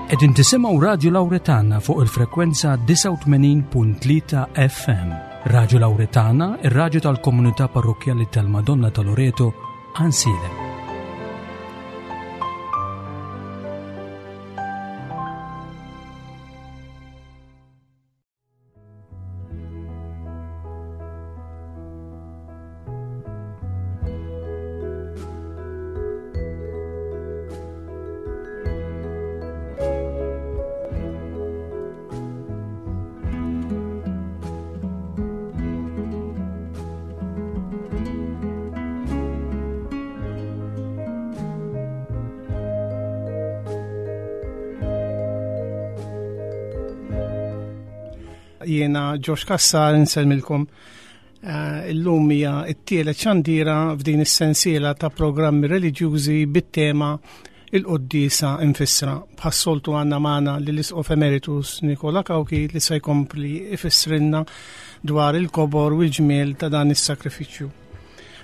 Qegħdin tisimgħu Radju Lawretana fuq il-frekwenza 89.3 FM. Radju Lawretana, ir-radju tal-komunità parrokkjali tal-Madonna ta' Loreto, Ansilem. Jiena Josh Kassar insellmilkom. Eh, illum hija t-tielet xandira f'din is-sensiela ta' programmi reliġjużi bit-tema il-quddiesa infissra. Bħas-soltu għandna magħna lill isqof Emeritus Nikola Kawki li se jkompli ifissrilna dwar il-kobor u l-ġmiel ta' dan is-sakrifiċċju.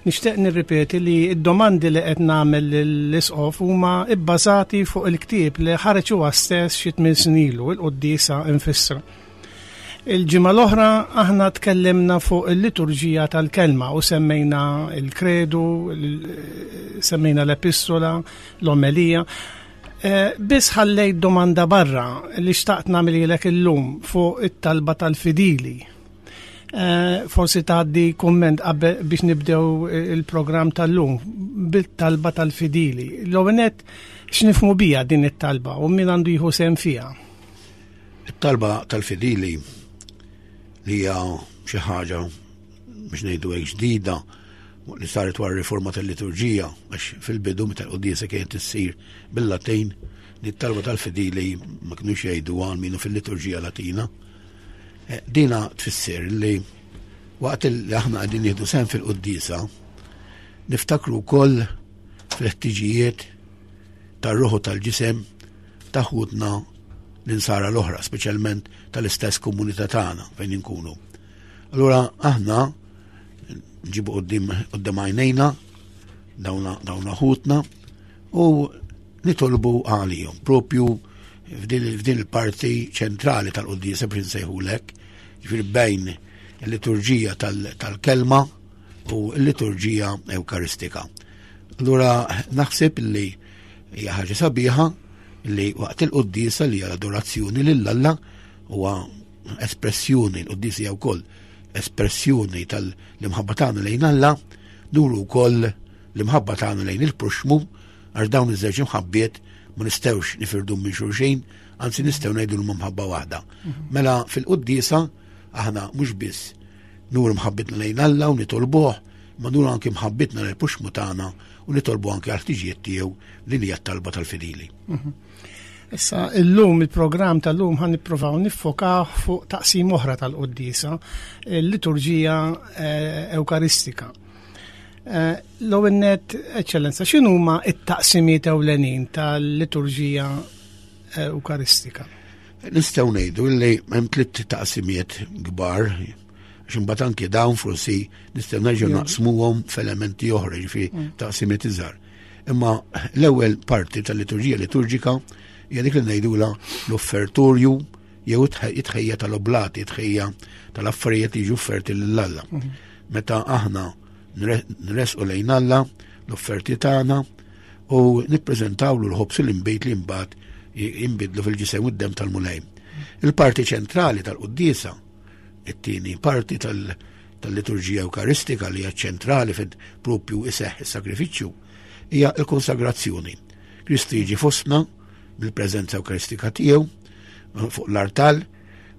Nixtieq nirripeti li d-domandi li qed nagħmel lill-Isqof huma bbażati fuq il-ktieb li ħareġ huwa stess xi tmien snin ilu, il-Quddiesa Infissra. Il-ġimgħa l-oħra aħna tkellimna fuq il-liturġija tal-kelma u semmejna il-kredu, semmejna l-epistola, l-omelija. Eh, biss ħallejt domanda barra li xtaqt nagħmililek illum fuq it-talba tal-fidili. Eh, forsi tgħaddi kumment qabel biex nibdew il-programm tal-lum bit-talba tal-fidili. L-ewwel nett x'nifhmu bija din it-talba u min għandu jieħu sehem fiha? It-talba tal-fidili li hija xi ħaġa biex ngħidu hekk ġdida li saret wara riforma tal-liturġija għax fil-bidu meta l-quddiesa kienet issir bil-Latin li t-talba tal-fidili ma kinux jgħidu għal minu fil-liturġija Latina. Eh, dina tfisser li waqt li aħna qegħdin nieħdu sehem fil-quddiesa niftakru wkoll fil-ħtiġijiet tar-ruħu tal-ġisem ta' ħutna l-insara l-oħra, speċjalment tal-istess komunità tagħna fejn inkunu. Allura aħna nġibu qudiem għajnejna dawna ħutna u nitolbu għalihom propju f'din il-parti ċentrali tal-quddiesa biex nsejħulek, ġifieri bejn il-liturġija tal-kelma u l-liturġija ewkaristika. Allura naħseb li hija ħaġa sabiħa li waqt il-quddiesa li hija l-adorazzjoni lil Alla huwa espressjoni l-quddiesa hija wkoll espressjoni tal-imħabba tagħna lejn Alla, nuru wkoll l-imħabba tagħna lejn il-proxxmu għax dawn iż-żewġ imħabbiet ma nistgħux nifirdu minn xulxin, anzi nistgħu ngħidu l mħabba waħda. Mhm. Mela fil-quddiesa aħna mhux biss nuru mħabbitna lejn Alla u nitolbuh, ma nuru anki mħabbitna lejn puxmu tagħna u nitolbu anki għal ħtiġijiet tiegħu li hija t-talba tal-fidili. Mhm. Issa, illum il-programm tal-lum ħan nippruvaw niffokaw fuq taqsim oħra tal-quddiesa, il-liturġija eh, Ewkaristika. Eh, l-ewwel nett, Eċċellenza, x'inhuma t-taqsimiet ewlenin tal-liturġija eh, Ewkaristika? Nistgħu ngħidu li hemm tliet taqsimiet kbar għax imbagħad anki dawn forsi nistgħu nerġgħu naqsmuhom f'elementi oħra, ġifieri mm. taqsimiet iżgħar. Imma l-ewwel parti tal-liturġija liturġika hija dik li ngħidula l-offertorju jew it-tħejja tal-oblati, it-tħejja tal-affarijiet li jiġu offerti lil Alla. Mhm. Meta aħna nresqu lejn Alla l-offerti tagħna u nippreżentawlu l-ħobs l-imbejt li mbagħad jinbidlu fil-ġisem u d-dem tal-Mulej. Il-parti ċentrali tal-quddiesa, it-tieni parti tal-liturġija Ewkaristika li hija ċentrali fejn propju iseħħ is-sagrifiċċju, hija l-konsagrazzjoni. Kristu jiġi fostna bil-preżenza Ewkaristika tiegħu fuq l-artal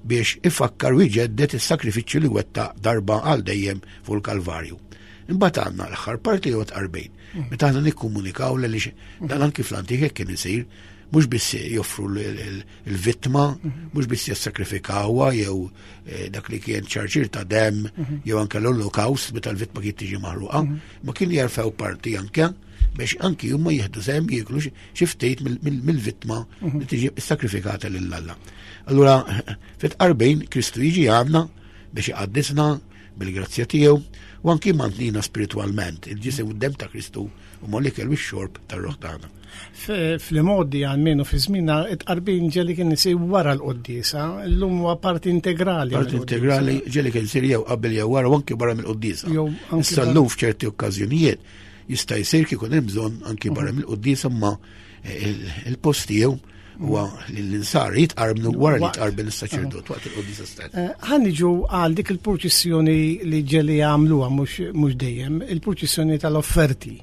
biex ifakkar u jġedded is-sakrifiċċju li wettaq darba għal dejjem fuq il-Kalvarju. Imbagħad għandna l-aħħar parti jew tqarbin. Mm. Meta aħna nikkomunikaw li dan anki fl-antik hekk kien isir, mhux biss joffru l-vittma, mm-hmm. mhux biss jissakrifikawha jew eh, dak li kien ċarċir ta' dem mm-hmm. jew anke l-olokawst meta l-vittma kien tiġi maħruqa, mm-hmm. ma kien jerfew parti anke biex anki huma jieħdu sehem jieklu xi ftit mill-vittma li tiġi sakrifikata lil Alla. Allura fit-qarbin Kristu jiġi għandna biex iqaddisna, bil-grazzja tiegħu u anki mantnina spiritwalment il-ġisem u d-dem ta' Kristu u mal-ikel u x-xorb tar-ruħ tagħna. Fl-modi għalmenu fi żmina it-qarbin ġeli kien isir wara l-quddiesa, llum huwa parti integrali. Parti integrali ġeli kien isir jew qabel jew wara u anki barra mill-quddiesa. Issa llum f'ċerti okkażjonijiet jista' jsir kif hemm bżonn anki barra mhm. mill-quddiesa ma il-post tiegħu huwa li l-insar jitqarbnu wara li jitqarben is-saċerdot waqt il-quddiesa stess. Eh, ħa niġu għal dik il-purċissjoni li ġeli għamluha mhux dejjem, il-purċissjoni tal-offerti.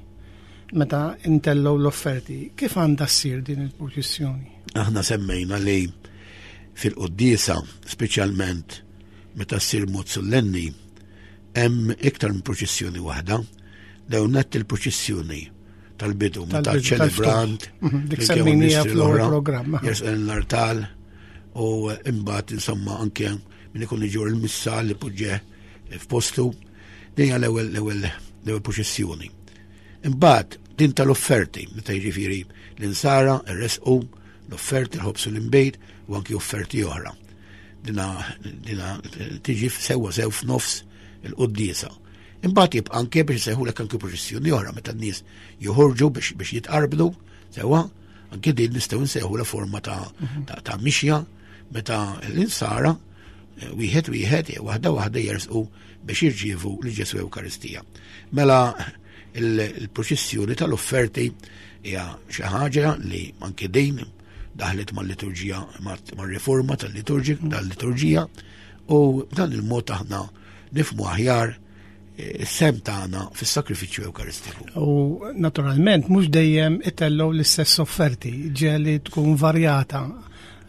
Meta intellgħu l-offerti, kif għandha ssir din il-purċissjoni? Aħna semmejna li fil-quddiesa, speċjalment meta ssir mod sollenni, hemm iktar minn purċissjoni waħda. Dawn nett il-purċissjoni tal-bidu, meta ċelebrant, mhm, dik semmejnija fl-ewwel programm. Jersqen l-artal u imbagħad insomma anke min ikun iġur il-missa li poġġeh f'postu. Din hija l-ewwel l-ewwel l-ewwel proċessjoni. Imbagħad din tal-offerti, meta jiġifieri l-insara rresqu l-offerti l-ħobs u l-inbejt u anki offerti oħra. Dina, dina tiġi sewwa sew f'nofs il-quddiesa. Imbagħad jibqa' anke biex isejħulek anke proċessjoni oħra meta n-nies joħorġu biex biex jitqarblu, sewwa, anke din nistgħu nsejħu forma ta', mhm. ta, ta mixja meta l-insara eh, wieħed wieħed jew waħda waħda jersqu biex jirċievu li Ġesu Ewkaristija. Mela il-proċessjoni tal-offerti hija xi ħaġa li anke din daħlet mal-liturġija mar-riforma tal-liturġija u dan il-mod aħna nifmu aħjar eh, is-sem tagħna fis-sakrifiċċju Ewkaristiku. U naturalment mhux dejjem itellgħu l-istess offerti, ġeli tkun varjata.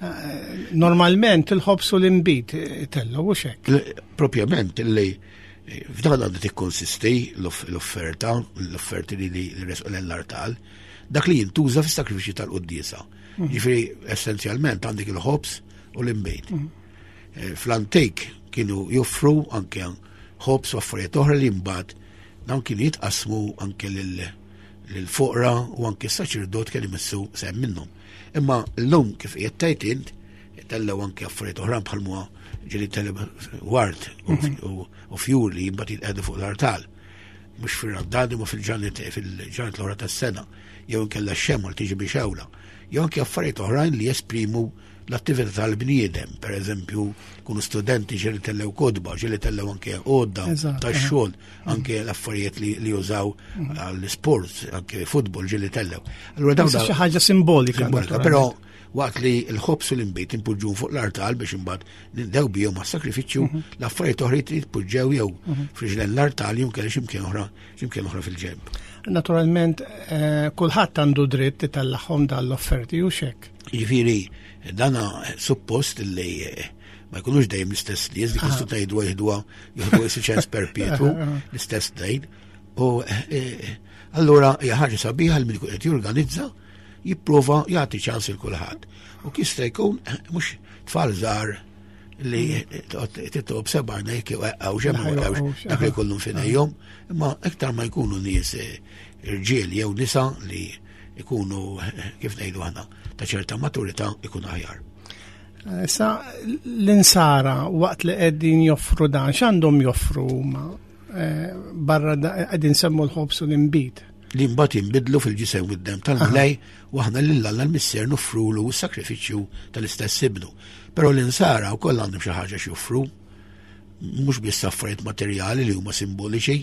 Eh, normalment il-ħobs u l-inbid itellgħu u xek. Propjament li eh, f'dan għandha tikkonsisti l-offerta, l-offerti li li resqu l-artal, dak li jintuża fis-sakrifiċċju tal-quddiesa. Mm. Ġifieri essenzjalment għandek il-ħobs u l-inbid. Mm. Eh, fl-antik kienu joffru anke ħobs u affarijiet oħra li mbagħad dawn kienu jitqasmu anke lill-foqra u anke s-saċerdot kien imissu sehem minnhom. Imma llum kif qiegħed tgħid int, tellgħu anke affarijiet oħra bħal muha ġieli tellgħu ward mhm. u fjur li mbagħad jitqegħdu fuq l-artal. Mhux fir-Randan imma fil-ġranet fil-ġranet l-oħra tas-sena, jew inkella x-xemgħa li tiġi biex ewla, jew anke affarijiet oħrajn li jesprimu l-attività tal-bniedem, per eżempju, kunu studenti ġeli tellew kodba, ġeli tellew anke għodda tax-xogħol, anke l-affarijiet li jużaw mhm. għall-sports, anke futbol ġeli tellew. Allura dawn xi ħaġa simbolika. Simbolika, però waqt li l-ħobs u l-imbejt impoġġu fuq l-artal biex imbagħad nindew bihom għas-sakrifiċċju, mhm. l-affarijiet oħra jitpoġġew jew mhm. friġlen l-artal jew kelli x'imkien oħra, x'imkien oħra fil-ġenb. Naturalment, eh, kulħadd għandu dritt itellagħhom dal-offerti u xek. Jiġifieri dana suppost li eh, ma jkunux dejjem l-istess nies, dik istu tgħidu jieħduha jieħdu isi ċens perpetwu l-istess dejn. U eh, allura hija ħaġa sabiħa li min ikun qed jorganizza jipprova jagħti ċans il kulħadd. U kista jkun mhux tfal żgħar li titlob sebgħa jekk jew xemma dak li jkollhom f'idejhom, imma iktar ma jkunu nies eh, irġiel jew nisa li ikunu, kif ngħidu aħna, ta' ċerta maturità ikun aħjar. Issa l-insara waqt li qegħdin joffru dan, x'għandhom joffru huma? Eh, barra qegħdin semmu l-ħobs u l-inbid. Li mbagħad jinbidlu fil-ġisem u d-dem tal-Mulej u aħna lil Alla l-Missier noffrulu s-sakrifiċċju tal-istess ibnu. Però l-insara wkoll għandhom xi ħaġa x'joffru, mhux biss affarijiet materjali li huma simboliċi,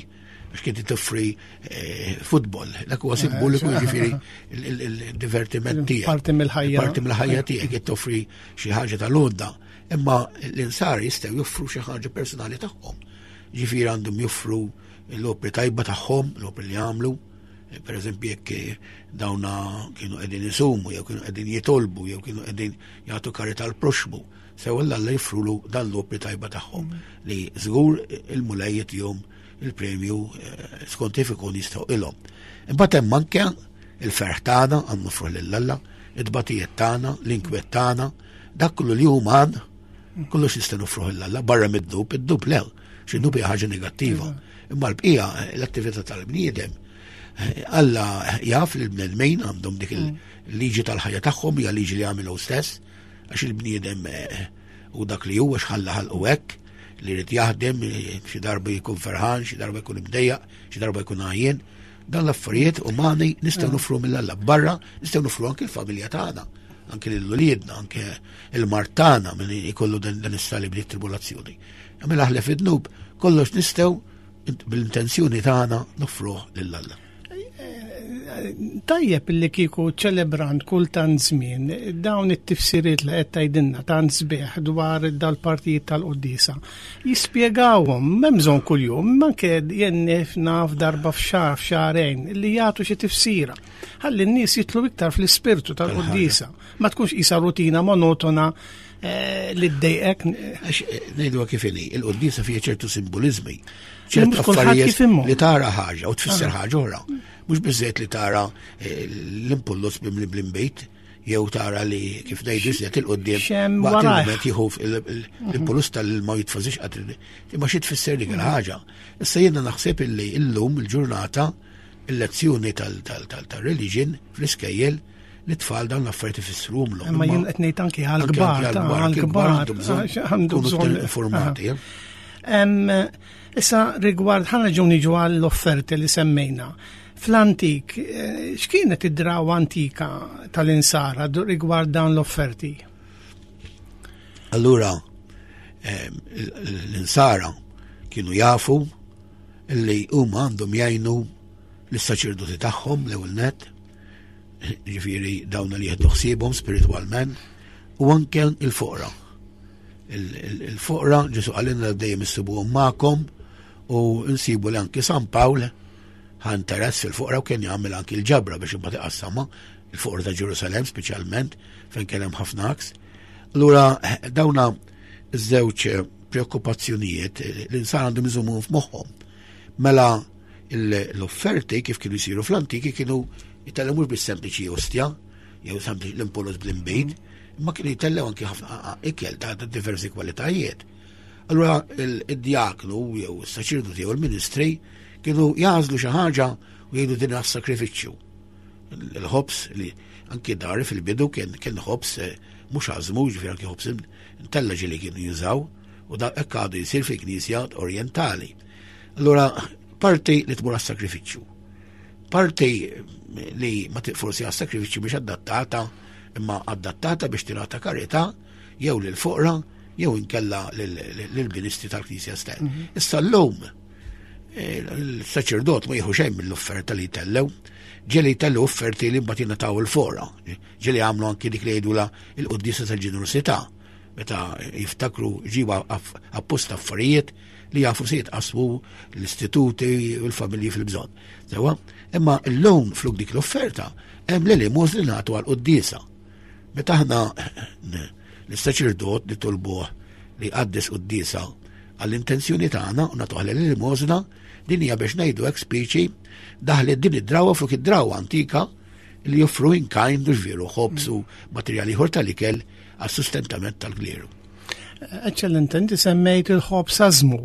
għax kien toffri eh, futbol, dak huwa simboliku eh, jiġifieri il-divertiment tiegħek. Parti mill-ħajja. Parti mill-ħajja tiegħek qed toffri xi ħaġa tal-għodda, imma l-insar jistgħu joffru xi ħaġa personali tagħhom. Ġifieri għandhom joffru l-opri tajba tagħhom, l-opri li għamlu, eh, per eżempju jekk dawna kienu qegħdin isumu, jew kienu qegħdin jitolbu, jew kienu qegħdin jagħtu karità l-proxmu. Sew Alla joffrulu dan l-opri tajba tagħhom li żgur il-Mulej jtihom il-premju eh, skont kif ikun jistħoqilhom. Imbagħad hemm anke il-ferħ tagħna għand nofruh lil Alla, it-tbatijiet tagħna, l-inkwiet tagħna, dak kollu li uman, kollox nista' nofruh lil Alla barra mid-dnub, id-dnub le, xi dnub hija ħaġa negattiva. Imma l-bqija l-attività tal-bniedem eh, Alla jaf li l-bnedmin għandhom dik il-liġi tal-ħajja tagħhom hija liġi li għamilu stess, għax il-bniedem eh, u dak li huwa x'ħalla ħalqu hekk. li jrid jaħdem, xi darba jkun ferħan, xi darba jkun imdejjaq, xi darba jkun għajjen. Dan l-affarijiet umani nistgħu nofru mill-Alla barra, nistgħu nofru anke l-familja tagħna, anke lil uliedna, anke il-mart tagħna min ikollu dan is-salib li tribulazzjoni. Mela aħlef id-dnub, kollox nistgħu bil-intenzjoni tagħna nofruh lil Alla. Tajjeb li kieku ċelebrant kull tant żmien dawn it-tifsiriet li qed tgħidilna tant sbieħ dwar dal-partijiet tal-quddiesa. Jispjegawhom m'hemm bżonn kuljum, anke jien naf darba f'xahar f'xahrejn li jagħtu xi tifsira. Ħalli n-nies jitlu iktar fl-ispirtu tal-quddiesa. Ma tkunx qisha rutina monotona eh, li ddejqek. Għax eh, ngħidu kif inhi, il-quddiesa fiha ċertu simbolizmi, ċertu affarijiet li tara ħaġa u tfisser ah. ħaġa oħra. Mhux biżżejjed li tara eh, l-impullus bimli bl-imbejt, jew tara li kif ngħidu iżjed il-qudiem waqt il-mument jieħu l-impullus tal-ilma jitfażix qatt imma xi tfisser dik il-ħaġa. Issa jiena naħseb illi illum il-ġurnata il-lezzjoni tal-religion fl-iskejjel li tfal dawn l-affarijiet ifissruhomlhom. Imma jien qed ngħid anki għall-kbar, għall-kbar għandu bżonn informati. Eh? Issa rigward ħana ġew niġu għall-offerti li semmejna. Fl-antik, eh, x'kienet id-drawa antika tal-insara rigward dawn l-offerti? Allura, l-insara kienu jafu li huma għandhom jgħinu lis-saċerdoti tagħhom l-ewwel net, ġifieri dawn li jieħdu ħsiebhom spiritwalment, u anke il-foqra. Il-foqra Ġesu qalilna dejjem issibuhom magħkom u nsibu li anke San Pawl ħa interess fil-foqra u kien jagħmel anke l-ġabra biex imbagħad iqassamha il-foqra ta' Ġerusalem speċjalment fejn kien hemm ħafna aks. Allura dawna iż-żewġ preokkupazzjonijiet l-insan għandhom iżommuhom f'moħħhom. Mela l-offerti kif kienu jsiru fl-antiki kienu jitellgħu mhux bis-sempliċi ostja jew sempliċi l-impolos bl-imbejt, imma kienu jitellgħu anki ħafna ikel ta' diversi kwalitajiet. Allura id-diaknu jew is-saċerdoti jew il-ministri kienu jażlu xi ħaġa u jgħidu din għas-sakrifiċċju. Il-ħobs li anki dari fil-bidu kien kien ħobs eh, mhux għażmu, ġifieri anki ħobs intella ġieli kienu jużaw u da hekk għadu jsir fil-Knisja Orjentali. Allura parti li tmur għas-sakrifiċċju. Parti li ma forsi għas-sakrifiċċju biex adattata imma adattata biex tingħata karità jew lil foqra jew inkella lill-ministri tal-Knisja stess. Mhm. Issa llum eh, il-saċerdot ma jieħu xejn mill-offerta li jtellew, ġeli jtellew offerti li mbagħad jingħataw il-fora, ġeli għamlu anki dik li jgħidula il-quddiesa tal-ġenerosità meta jiftakru ġiba apposta affarijiet li jafu se jitqasmu l-istituti u l-familji fil-bżonn. Sewa, imma llum fluk dik l-offerta hemm l-elemos li nagħtu għal quddiesa. Meta aħna l-saċerdot nitolbuh li jqaddes quddiesa għall-intenzjoni tagħna u nagħtuh l-elemosna, din hija biex ngħidu hekk speċi daħlet din id-drawa fluk id-drawa antika li joffru in kind u ġvieru ħobż u materjali ieħor tal-ikel għas-sustentament tal-kleru. Eccellente, inti semmejt il-ħobż ażmu.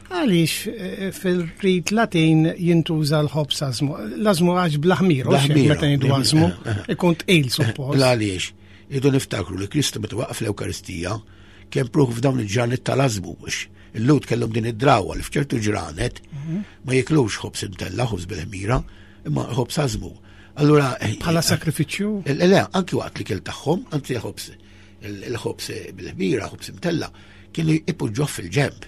Għaliex eh, fil-rit Latin jintuża l-ħobż ażmu? L-ażmu għax bl-ħmir, meta ngħidu ażmu, eh, eh. ikun tqil suppost. Għaliex, idu niftakru li Kristu meta waqaf l-Ewkaristija kien pruħ f'dawn il-ġranet tal-ażmu biex il-lut kellhom din id-drawa li f'ċertu ġranet mhm. ma jiklux ħobż imtella, ħobż bil-ħmira, imma ħobż ażmu. Allura bħala sakrifiċċju? Le, anki waqt li kell tagħhom, anzi ħobż il-ħobż bil-ħmira, ħobż imtella, kienu ipoġġuh fil-ġemp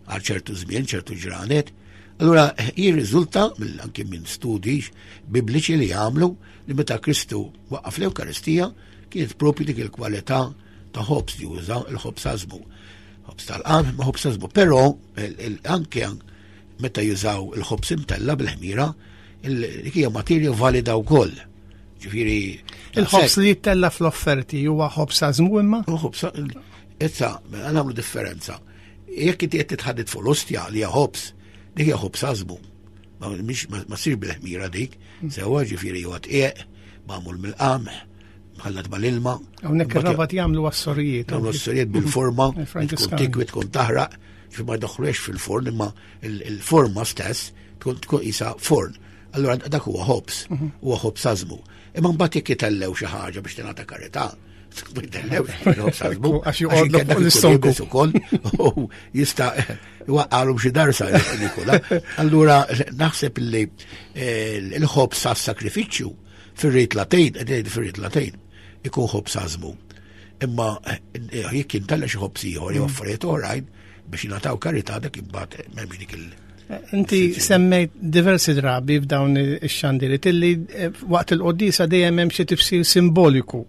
għal ċertu żmien, ċertu ġranet. Allura jirriżulta anki minn studji bibliċi li għamlu li meta Kristu waqqaf l-Ewkaristija kienet propju dik il-kwalità ta' ħobż li uża il-ħobż għażmu. Ħobż tal-qamħ ma ħobż għażmu, però anke meta jużaw il-ħobż imtella bil-ħmira, dik hija materja valida wkoll. Ġifieri. Il-ħobż li jittella fl-offerti huwa ħobż għażmu imma? Ħobż issa nagħmlu differenza. Jekk inti qed titħadded fuq l-ostja li hija ħobż, dik hija ħobż għażmu. Ma ssir bil-ħmira dik, mm. sewwa ġifieri huwa tqieq, magħmul mill-qamħ, mħallat mal-ilma. Hawnhekk ir-rabat jagħmlu għas-sorijiet. Jagħmlu għas-sorijiet bil-forma, tkun tikwi tkun taħraq, ġifieri ma jdaħħluhiex fil-forn imma il-forma stess tkun tkun isa forn. Allura dak huwa ħobż, mhm. huwa ħobż għażmu. Imma mbagħad jekk jitellew xi ħaġa biex tingħata karità, Ma jtellewx il-ħobż għażmu. Għax joqgħodlok fuq l-istonku. ukoll u jista' jwaqqalhom xi darsa Nikola. Allura naħseb li eh, l-ħobż għas-sakrifiċċju fir-rit Latin, qed fir-rit Latin, ikun ħobż għażmu. Imma eh, jekk jintella xi ħobż ieħor jew mm. affarijiet oħrajn biex jingħataw karità dak imbagħad m'hemmx dik il- Inti semmejt diversi drabi f'dawn ix-xandiriet illi eh, waqt il-qoddisa dejjem hemm xi tifsir simboliku.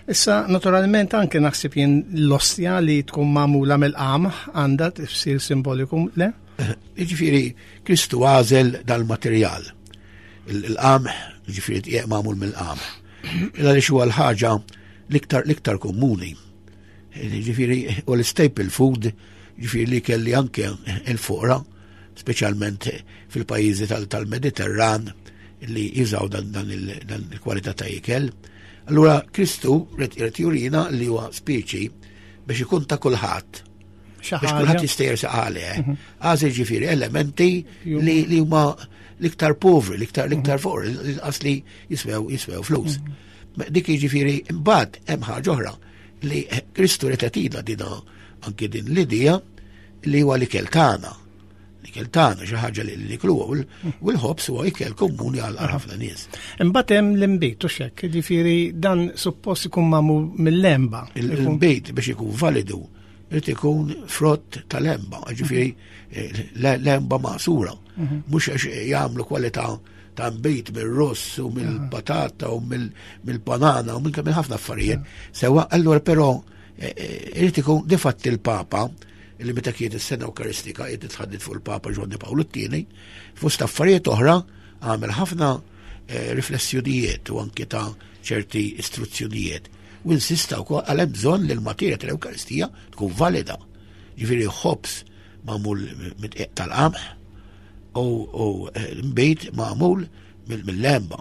Issa, naturalment, anke naħseb jien l-ostja li tkun magħmula mill-qamħ għandha tifsir simboliku, le? Jiġifieri Kristu għażel dal-materjal. Il-qamħ, jiġifieri tqiegħ magħmul mill-qamħ. Illa li huwa l-ħaġa l-iktar l-iktar komuni. Jiġifieri u l-staple food, jiġifieri li kelli anke il-fuqra, speċjalment fil-pajjiżi tal-Mediterran li jużaw dan il-kwalità ta' ikel. Allura Kristu rid jurina li huwa speċi biex ikun ta' kulħadd. Biex kulħadd jista' jersaq għalih. Mhm. Għażel ġifieri elementi li huma l-iktar povri, l-iktar l-iktar mhm. foqra, l-inqas li jiswew jiswew flus. Mhm. Dik jiġifieri imbagħad hemm ħaġa oħra li Kristu rid jagħtina dina anke din l-idea li huwa l-ikel tagħna. L-ikel tagħna xi ħaġa li nikluha u l-ħobż huwa ikel komuni għal ħafna nies. Imbagħad hemm l-inbid u xekk, jiġifieri dan suppost ikun magħmul mill-lemba. Il-inbid biex ikun validu irid ikun frott tal-lemba, ġifieri eh, lemba maqsura. Mhm. Mhux għax jagħmlu kwalità ta' nbejt mill-ross u mill-patata u mill-banana u minn ħafna affarijiet. Sewa, allura però eh, eh, irid ikun difatti il-Papa li meta kienet is-sena Ewkaristika qed titħaddid fuq il-Papa Ġwanni Pawlu t-tieni, fost affarijiet oħra għamel ħafna eh, riflessjonijiet u anke ta' ċerti istruzzjonijiet. U insista wkoll għal hemm bżonn li l-materja tal-Ewkaristija tkun valida. Ġifieri ħobż magħmul mid-dqiq tal-qamħ u eh, mbejt magħmul mill-lemba.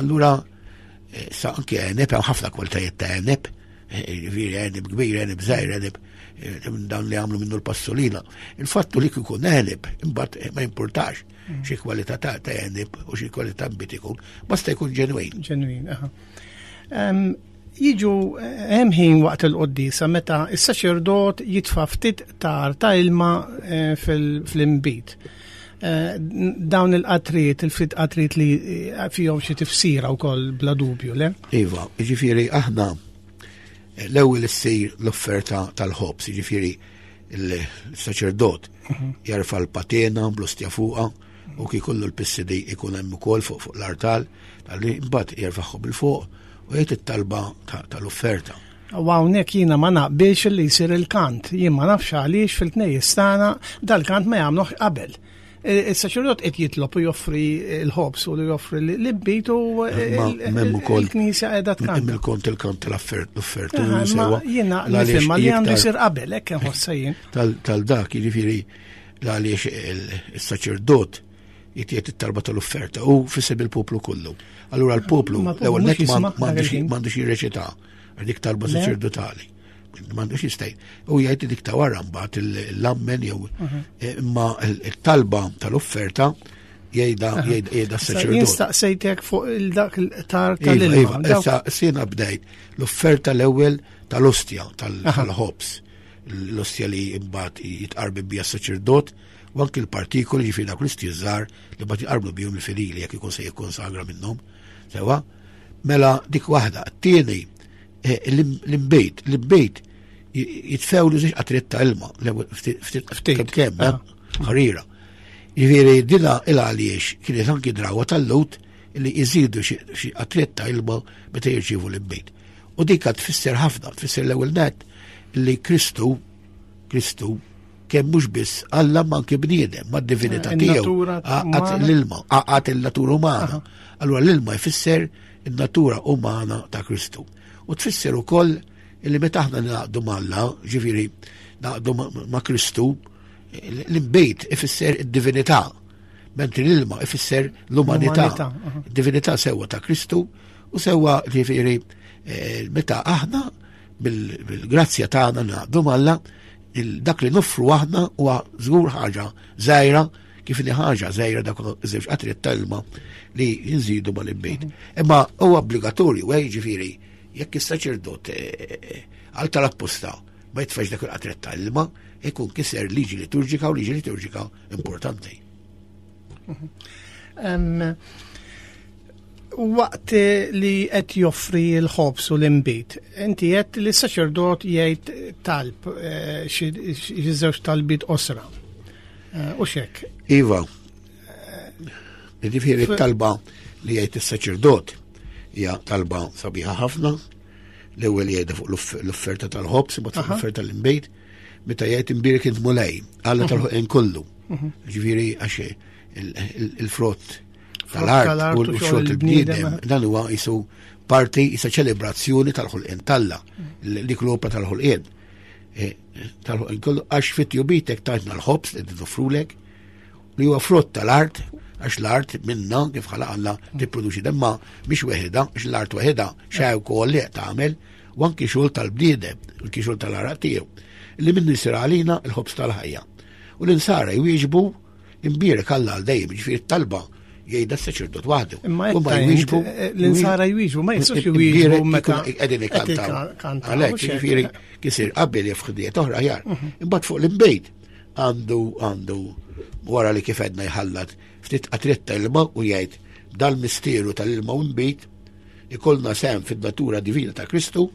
Allura eh, sa anke għeneb hemm ħafna kwalitajiet ta' għeneb, Ġifieri għeneb kbir, għeneb żgħir, għeneb eh, dan li għamlu minnu l-passolina. Il-fattu li kikun għeneb, imbagħad eh, ma jimpurtax mm. xi kwalità ta' għeneb u xi kwalità mbit ikun, basta jkun ġenwin. Ġenwin, aha. Jiġu eh, hemm ħin waqt il-qoddisa meta is-saċerdot jitfa' ftit tar ta' ilma fl-imbit. Dawn il-qatriet, il-ftit qatriet li fihom xi tifsira wkoll bla dubju, le? Iva, jiġifieri aħna eh, l-ewwel issir l-offerta tal-ħobż, jiġifieri il-saċerdot mhm. jarfa l-patena bl-ostja fuqha u kif kollu l-pissidi ikun hemm ukoll fuq fuq l-artal, tal-li mbagħad jerfaħħu bil-fuq u jgħid it-talba tal-offerta. U hawnhekk jiena ma naqbilx li jsir il-kant. Jien ma nafx għaliex fil-knejjes tagħna dal-kant ma jagħmluh qabel. Il-saċerdot qed jitlob u joffri l-ħobż u li joffri l-ibbit u il-knisja qiegħda tkanta. Hemm il-kont il-kant tal-offert l-offert. Jiena nifhem li għandu jsir qabel hekk inħossha jien. Tal-dak jiġifieri għaliex il-saċerdot jitjiet it-talba tal-offerta u fisem il-poplu kollu. Allura l-poplu l-ewwel net m'għandux jirreċita dik talba saċerdotali. M'għandux jistaj. U jgħid dik ta' wara mbagħad l-ammen jew mhm. eh, imma il-talba tal-offerta jgħidha jgħidha s-saċerdot. Jien staqsejtek fuq il-dak il-tar iva, tal-ilma. Iva, issa sena bdejt l-offerta l-ewwel tal-ostja tal-ħobż. L-ostja li mbagħad jitqarbi bija s-saċerdot u anki l-partikoli ġifieri dawk l-istiżżar li mbagħad jqarblu bihom il-fidili jekk ikun se jikkonsagra minnhom. Sewa, mela dik waħda. Tieni, eh, l-imbejt, l-imbejt jitfewlu żewġ qatret ta' ilma, ftit kemm, eh, ħarira. Ġifieri dina il għaliex kienet anki drawa tal-lut li jżidu xi qatret ta' ilma meta jirċievu l-imbejt. U dik tfisser ħafna, tfisser l-ewwel net li Kristu Kristu kemm mhux biss Alla ma anke bniedem, ma divinità eh, tiegħu. Għaqad l-ilma, għaqad il-natura umana. Allura l-ilma jfisser in-natura umana ta' Kristu. U tfisser ukoll illi meta aħna naqdu m'Alla, ġifieri naqdu ma' Kristu, l-imbejt ifisser id-divinità, mentri l-ilma ifisser l-umanità. Divinità sewwa ta' Kristu u sewwa ġifieri eh, meta aħna bil-grazzja tagħna naqdu m'Alla dak li noffru aħna huwa żgur ħaġa żgħira kif li ħaġa żgħira dak żewġ qatri tal-ilma li nżidu mal-imbejt. Mhm. Imma huwa obbligatorju, eh, jiġifieri Jekk is-saċerdot eh, eh, għal tal-apposta ma jitfax dak il-qatret ta' ilma, ikun kiser liġi liturġika u liġi liturġika importanti. Waqt li qed joffri l-ħobs u l-inbid, inti qed li s-saċerdot jgħid talb eh, xi żewġ talbiet qosra. Eh, u xek. Iva, Jiġifieri t-talba li jgħid is-saċerdot hija talba sabiħa ħafna. L-ewwel jgħidha fuq l-offerta tal-ħobs, imbagħad fuq l-offerta tal-inbejt, meta jgħid imbierek int Mulej, Alla tal-ħolqien kollu. Mhm. Ġifieri għax il-frott tal-art u l-xogħol il-bniedem, dan huwa jisu parti jisa ċelebrazzjoni tal-ħolqien talla, mhm. dik l-opra tal-ħolqien. E, tal-ħolqien kollu għax fit-jubitek tajtna l-ħobs li nofrulek, li huwa frott tal-art, għax l-art minna kif ħalaq Alla tipproduċi demma biex weħida, għax l-art weħida xejn ukoll li tagħmel u anki xogħol tal-bniedem, anki xogħol tal-araq tiegħu, li minnu jsir għalina l-ħobż tal-ħajja. U l-insara jwieġbu imbierek Alla għal dejjem, ġifieri talba jgħidha s-saċerdot waħdu. Imma jwieġbu eh, l-insara jwieġbu, ma jistgħux jwieġbu meta qegħdin ikantaw. Għalhekk ġifieri kisir qabel jef ħdiet oħra ħjar. Mhm. Imbagħad fuq l-imbejt għandu għandu wara li kif għedna jħallat ftit qatriet ta' ilma u jgħid dal-misteru tal-ilma u nbid ikollna sehem fin-natura divina ta' Kristu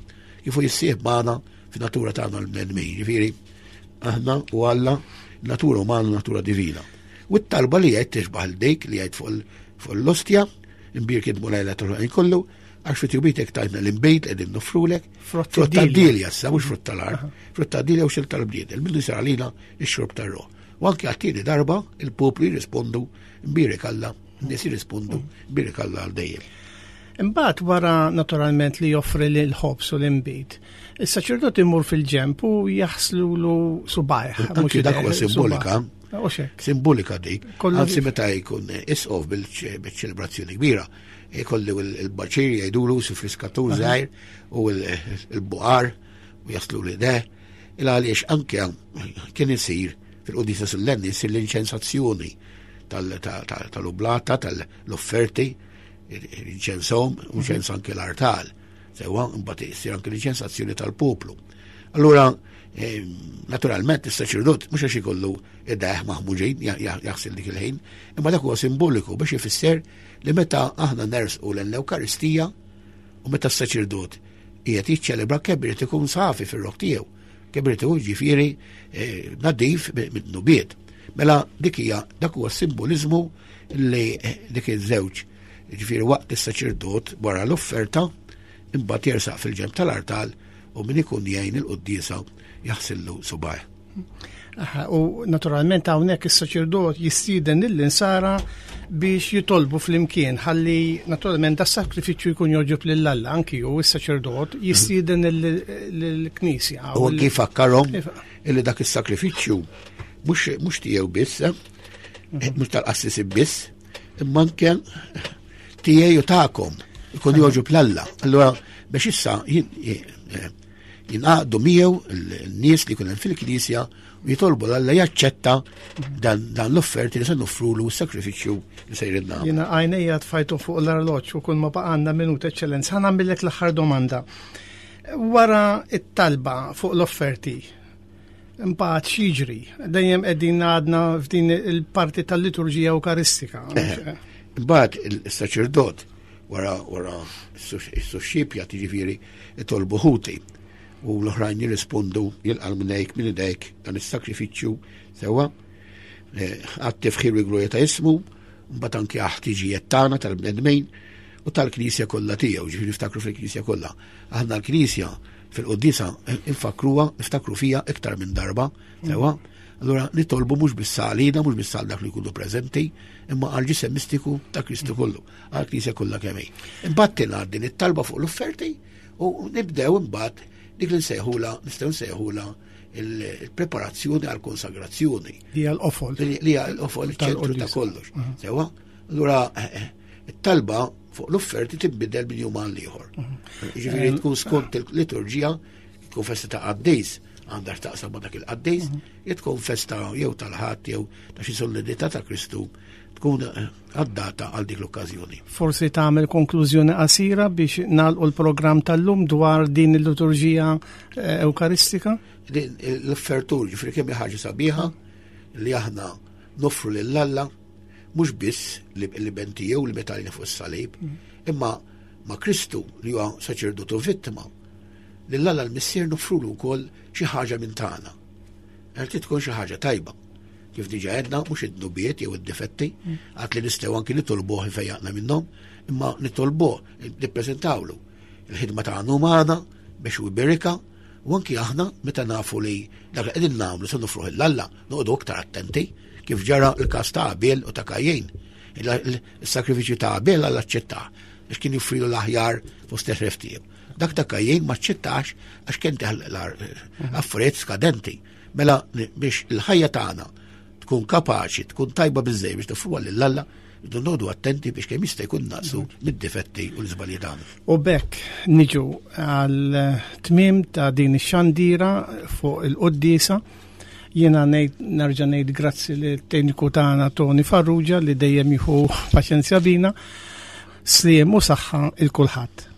kif hu jissieħ magħna fin-natura tagħna l-bnedmin. Ġifieri aħna u Alla natura umana natura divina. U t-talba li jgħid tixbaħ dik li jgħid fuq l-ostja, imbierek Mulej tal kollu, Għax fi tjubitek tajtna l-inbejt qegħdin nofrulek. Frott tad-dilja issa, mhux frott tal-art. Frott tad-dilja u xil tal-bniedem, minnu jsir għalina x-xorb tar-ruħ. U anke għat-tieni darba il-poplu jirrispondu mbierek Alla, n-nies jirrispondu mbierek Alla għal dejjem. Imbagħad wara naturalment li joffri l-ħobż u l-inbid, is-saċerdot imur fil-ġemp u jaħslulu subajh. Anki dak huwa simbolika. Simbolika dik. Anzi meta jkun isqof bil-ċelebrazzjoni kbira, Ikollu il-baċir jgħidulu si friskatur żgħir u l-buqar u jaslu li de. Il għaliex anke kien isir fil-qudisa sollenni isir l-inċensazzjoni tal-ublata, tal-offerti, inċensom, u ċens anke l-artal. Sewa, mbagħad isir anke l-inċensazzjoni tal-poplu. Allura, eh, naturalment, is-saċerdot mhux għax ikollu id-deħ maħmuġin jaħsil dik il-ħin, imma dak huwa simboliku biex ifisser li meta aħna nersqu lejn l-Ewkaristija u meta s-saċerdot qiegħed jiċċelebra kemm irid ikun safi fir-rok tiegħu, kemm irid ikun ġifieri eh, nadif mid-dnubiet. Mela dik hija dak huwa simboliżmu li eh, dik iż-żewġ ġifieri waqt is-saċerdot wara l-offerta imbagħad jersaq fil-ġemp tal-artal u min ikun jgħin il-quddiesa jaħsillu subajh. U naturalment hawnhekk is-saċerdot jistieden lill-insara biex jitolbu flimkien ħalli naturalment da sakrifiċċju jkun joġob lil Alla anki hu is-saċerdot jistieden lill-Knisja. U anki fakkarhom illi dak is-sakrifiċċju mhux tiegħu biss, eh? mhm. mhux tal-qassisin biss, imma anke tiegħi u tagħkom ikun joġob l-Alla. Allura biex issa eh, Jingħaqdu miegħu n-nies li jkun hemm fil-Knisja u jitolbu l Alla jaċċetta dan, dan l-offerti li se noffrulu s-sakrifiċċju li se jridna. Jiena għajnejja tfajtu fuq l-arloġġ u kull ma baqgħanna minuta eċċellenza. Ħa nagħmillek l-aħħar domanda. Wara it-talba fuq l-offerti, imbagħad x'jiġri? Dejjem qegħdin għadna f'din il-parti tal-liturġija Ewkaristika. Eh, imbagħad il-saċerdot wara wara s-suxxipja tiġifieri itolbu ħuti u l-oħrajn jirrispondu jilqa' minn minn idejk dan is-sakrifiċċju sewwa eh, għat-tifħir u glorja ta' ismu, mbagħad anke għal-ħtiġijiet tagħna tal-bnedmin u tal-Knisja kollha tiegħu, ġifieri niftakru fil-Knisja kollha. Aħna l-Knisja fil-quddiesa nfakruha, niftakru fija iktar minn darba, sewwa. Allura nitolbu mhux biss għalina, mhux biss għal dak li jkunu preżenti, imma għal ġisem mistiku ta' Kristu kollu. għall-Knisja kollha kemm hi. Imbagħad tingħad din it-talba fuq l-offerti u nibdew imbagħad dik li nsejħula, nistgħu nsejħula il-preparazzjoni għall-konsagrazzjoni. Li hija l-qofol. Li hija l-qofol iċ-ċentru ta' kollox. Mhm. Sewa? Allura eh, eh, it-talba fuq l-offerti tinbidel minn jum għal ieħor. Mhm. Ġifieri tkun skont il-liturġija, tkun festa ta' qaddis, għandha x'taqsam ma' dak il-qaddis, mhm. tkun festa jew tal-ħadd jew ta' xi solidità ta' Kristu. tkun eh, għaddata għal dik l-okkażjoni. Forsi tagħmel konklużjoni qasira biex nagħlqu l-programm tal-lum dwar din il-liturġija eh, Ewkaristika? L-offertur, ġifri kemm ħaġa sabiħa li aħna noffru lil Alla mhux biss li ben tiegħu li betalina fuq is-salib, mm. imma ma' Kristu li huwa saċerdotu vittima, lil Alla l-Missier noffrulu wkoll xi ħaġa minn tagħna. Qed tkun xi ħaġa tajba. Kif diġa għedna, mhux id-dnubiet jew id-difetti, mm. għad li nistgħu anki nitolbuh ifejjaqna minnhom, imma nitolbuh, nippreżentawlu il-ħidma tagħna umana biex u jberika, u anki aħna meta nafu li dak li qegħdin nagħmlu se nofruh l-Alla, noqogħdu aktar attenti kif ġara l-każ ta' Abel u ta' Kajjin. Il-sakrifiċċju ta' Abel Alla aċċettah biex kien joffrilu l-aħjar fost il-ħref tiegħu. Dak ta' Kajjin ma ċċettax għax kien affarijiet skadenti. Mela biex il-ħajja tagħna tkun kapaċi, tkun tajba biżejjed biex toffruha lil Alla, rridu noqogħdu attenti biex kemm jista' jkun naqsu mid-difetti u l-iżbalji tagħna. U bekk niġu għal tmiem ta' din ix-xandira fuq il-quddiesa. Jiena ngħid nerġa' ngħid grazzi lit tekniku tagħna Tony Farrugia li dejjem jieħu paċenzja bina. Sliem u saħħa il kulħadd.